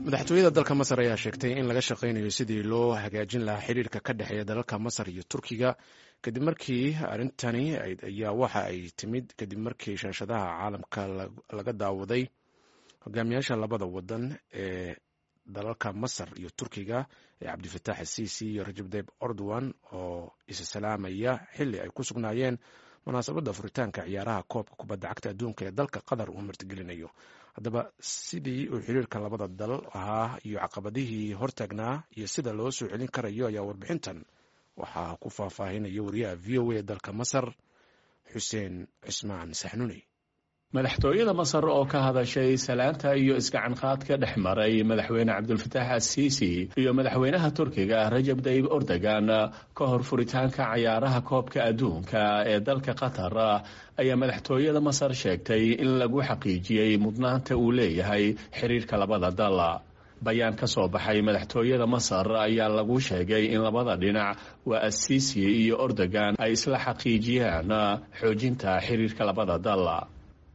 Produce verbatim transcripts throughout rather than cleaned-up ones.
Madaxtooyada dalka Masar ayaa sheegtay in laga shaqaynayo sidii loo hagaajin lahaa xiriirka ka dhexeeya dalalka Masar iyo Turkiga, kadib markii arrintani ayaa waxa ay timid kadib markii shaashadaha caalamka laga daawaday hogaamiyaasha labada wadan ee dalalka Masar iyo Turkiga ee Cabdifataax Asiisi iyo Rajab Tayib Erdogan oo isa salaamaya xilli ay ku sugnaayeen munaasabadda furitaanka ciyaaraha koobka kubadda cagta adduunka ee dalka Qatar uu martigelinayo. Haddaba, sidii uu xiriirka labada dal ahaa iyo caqabadihii hortaagnaa iyo sida loo soo celin karayo ayaa warbixintan waxaa ku faahfaahinaya wariyaha V O A dalka Masar, Xuseen Cismaan Saxnuni. Madaxtooyada Masar oo ka hadashay salaanta iyo isgacanqaadka dhex maray madaxweyne Cabdulfataax Asiisi iyo madaxweynaha Turkiga Rajab Tayib Erdogan ka hor furitaanka cayaaraha koobka adduunka ee dalka Qatar ayaa madaxtooyada Masar sheegtay in lagu xaqiijiyey mudnaanta uu leeyahay xiriirka labada dal. Bayaan ka soo baxay madaxtooyada Masar ayaa lagu sheegay in labada dhinac, waa Asiisi iyo Erdogan, ay isla xaqiijiyaan xoojinta xiriirka labada dal.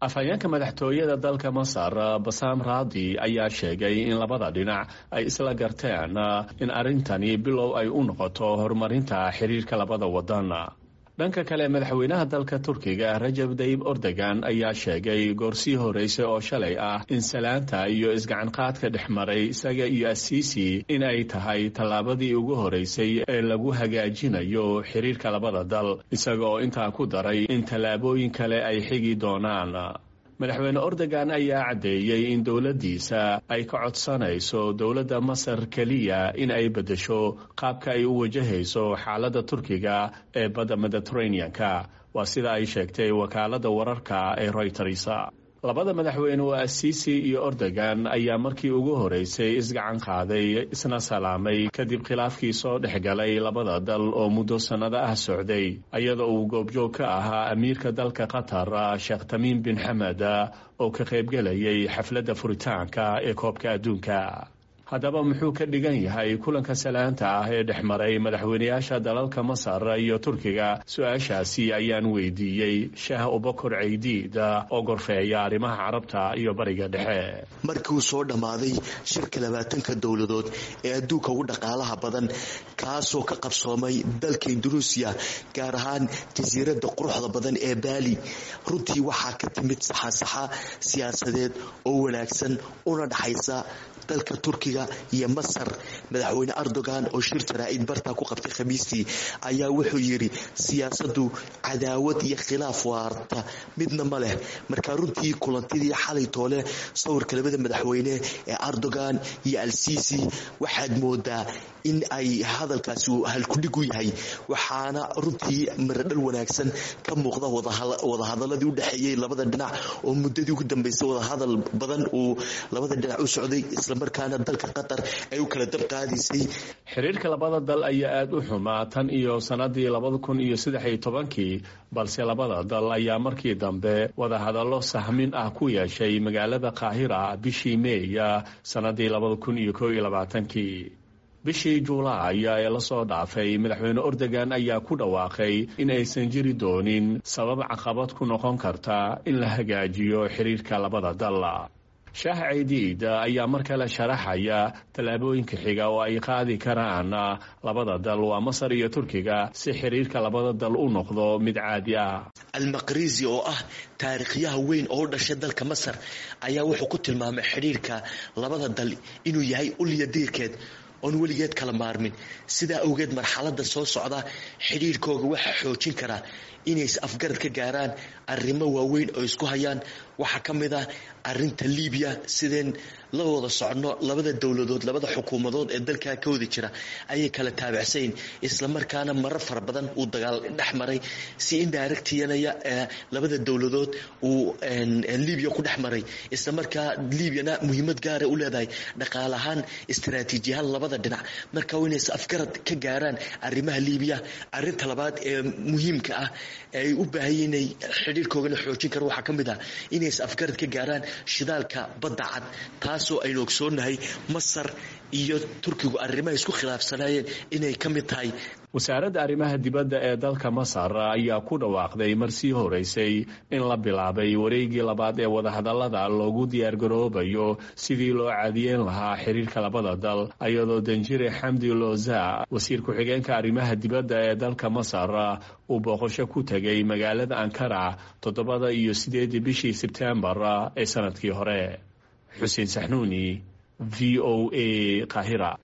Afhayeenka madaxtooyada dalka Masar, Basaam Raadi, ayaa sheegay in labada dhinac ay isla garteen in arrintani bilow ay u noqoto horumarinta xiriirka labada wadan. Dhanka kale, madaxweynaha dalka Turkiga Rajab Tayib Erdogan ayaa sheegay goorsii horeysay oo shalay ah in salaanta iyo isgacanqaadka dhex maray isaga iyo Asiisi in ay tahay tallaabadii ugu horeysay ee lagu hagaajinayo xiriirka labada dal, isaga oo intaa ku daray in tallaabooyin kale ay xigi doonaan. Madaxweyne Erdogan ayaa caddeeyey in dowladdiisa ay ka codsanayso dowladda Masar keliya in ay beddesho qaabka ay u wajahayso xaaladda Turkiga ee badda Mediterranean-ka, waa sida ay sheegtay wakaaladda wararka ee Reuters. Labada madaxweyne, waa Asiisi iyo Erdogan, ayaa markii ugu horeysay isgacan qaaday isna salaamay kadib khilaafkii soo dhexgalay labada dal oo muddo sannado ah socday, iyadoo uu goobjoog ka ahaa amiirka dalka Qatar, Sheekh Tamiim bin Xamed, oo ka qaybgelayay xafladda furitaanka ee koobka adduunka. Haddaba, muxuu ka dhigan yahay kulanka salaanta ah ee dhex maray madaxweynayaasha dalalka Masar iyo Turkiga? Su-aashaasi ayaan weydiiyey Shaah Obokor Ceydiid oo gorfeeya arrimaha Carabta iyo Bariga Dhexe. Markii uu soo dhammaaday shirka labaatanka dowladood ee adduunka ugu dhaqaalaha badan, kaasoo ka qabsoomay dalka Indunuusiya, gaar ahaan jasiiradda quruxda badan ee Baali, runtii waxaa ka timid saxasaxa siyaasadeed oo wanaagsan una dhaxaysa dalka Turkiga iyo Masar. Madaxweyne Erdogan oo shir jaraa'id bartaa ku qabtay Khamiistii ayaa wuxuu yidhi: "Siyaasaddu cadaawad iyo khilaaf waarta midna ma leh." Marka runtii kulantidii xalay toole, sawirka labada madaxweyne ee Erdogan iyo Al-Sisi, waxaad moodaa in ay hadalkaasi halkudhig u yahay, waxaana runtii miradhal wanaagsan ka muuqda wadahadaladii u dhexeeyey labada dhinac oo muddadii ugu dambeysay wadahadal badan uu labada dhinac u socday, islamarkaana dalka Qatar ay u kala dab qaadaysay. Xiriirka labada dal ayaa aada u xumaa tan iyo sanadii labada kun iyo saddex iyo tobankii, balse labada dal ayaa markii dambe wadahadallo sahmin ah ku yeeshay magaalada Qaahira bishii Meeya sanadii labada kun iyo kow iyo labaatankii. Bishii Juulaay ee lasoo dhaafay, madaxweyne Erdogan ayaa ku dhawaaqay in aysan jiri doonin sabab caqabad ku noqon karta in la hagaajiyo xiriirka labada dal. Shaah Ceydiid ayaa mar kale sharaxaya tallaabooyinka xiga oo ay qaadi karaan labada dal, waa Masar iyo Turkiga, si xiriirka labada dal u noqdo mid caadi ah. Almaqrizi oo ah taariikhyaha weyn oo u dhashay dalka Masar ayaa wuxuu ku tilmaamay xidhiirka labada dal inuu yahay ulya diirkeed oon weligeed kala maarmin. Sidaa awgeed, marxalada soo socda xidhiirkooga waxaa xoojin karaa inay is afgarad ka gaaraan arrimo waaweyn oo isku hayaan. Waxaa ka mid ah arinta Libiya. Sideen la wada socono, labada dowladood, labada xukuumadood ee dalkaa ka wada jira ayay kala taabacsayn, islamarkaana marar fara badan uu dagaal dhex maray si indirectyanaya labada dowladood uu Libiya ku dhex maray, islamarkaa Libyana muhiimad gaara u leedahay dhaqaale ahaan, istaraatiijiyahaan labada dhinac. Marka waa inay is afgarad ka gaaraan arrimaha Libiya. Arinta labaad ee muhiimka ah ee ay u baahan inay xidhiirkoogana xoojin karo waxaa ka mid ah inay is afgarad ka gaaraan shidaalka Badda Cad, taasoo aynu ogsoonnahay Masar iyo Turkigu arrimaha isku khilaafsanaayeen inay ka mid tahay. Wasaaradda arrimaha dibadda ee dalka Masar ayaa ku dhawaaqday mar sii horeysay in la bilaabay wareegii labaad ee wadahadallada loogu diyaargaroobayo sidii loo caadiyeyn lahaa xiriirka labada dal, iyadoo Danjire Xamdi Loza, wasiir ku-xigeenka arrimaha dibadda ee dalka Masar, uu booqasho ku tegay magaalada Ankara toddobada iyo sideedii bishii Sebtembar ee sanadkii hore. Xuseen Saxnuuni, V O A, Qaahira.